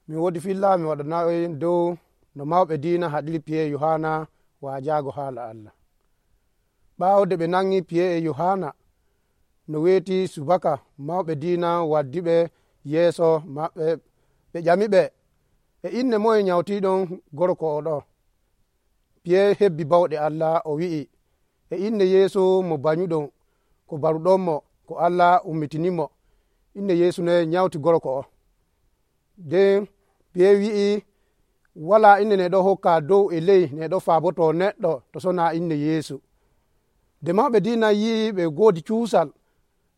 mi wodi filla mi waɗanayi dow no mawɓe diina haɗiri piye yohana wajago haala Allah. ɓawde ɓe nangi piye yohana no weti subaka mawɓe diina waddiɓe yeeso maɓɓe ɓe ƴamiɓe e inne moye nyawtiɗon gorko oɗo. piye hebbi bawɗe Allah o wi'i e inne yeesu mo banyuɗon ko baruɗonmo ko Allah ummitinimo inne yeesu ne nyawti gorko o. nden piye wi'i wala inne neɗo hokka dow e ley neɗo faboto neɗɗo to sona inne yeesu. de mawɓe diina yi ɓe godi cuusal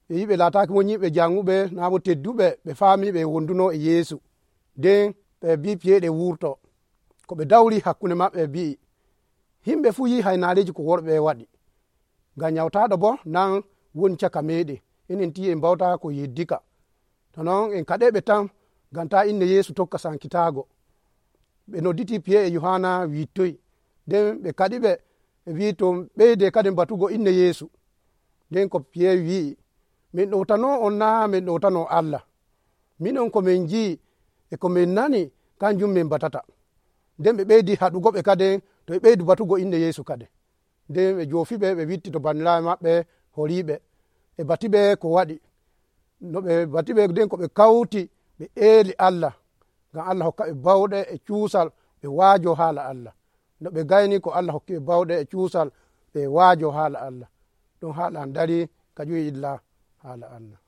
ɓe yi ɓe lataki won yimɓe janguɓe nabo tedduɓe ɓe faami ɓe wonduno e yeesu. nden ɓe bi piye ɗe wurto ko ɓe dawri hakkunde maɓɓe bi'i himɓe fu yi haynaleji ko worɓe waɗi ngam nyawtaɗo bo nan woni caka meɗen enen ti en bawta ko yeddika to non en kaɗeɓe tan ngam ta inne yeesu tokka sankitago. ɓe nodditi piye e yohana wittoyi nden ɓe kaɗiɓe ɓe wi to ɓeyde kadi batugo inne yeesu. nden ko piye wi'i min ɗowtano on na min ɗowtano Allah, minon komin ji e komin nani kanjum min batata. nden ɓe ɓeydi haɗugo ɓe kade to ɓe ɓeydu batugo inne yeesu kade. nden ɓe jofiɓe ɓe witti to bandiraɓe maɓɓe horiɓe ɓe batiɓe ko waɗi no ɓe batiɓe. nden ko ɓe kawti ɓe eeli Allah ngam Allah hokkaɓe bawɗe e cuusal ɓe waajo haala Allah. no ɓe gayni ko Allah hokkiɓe bawɗe e cuusal ɓe waajo haala Allah. ɗum haala an dari ka ƴoyi illa haala Allah.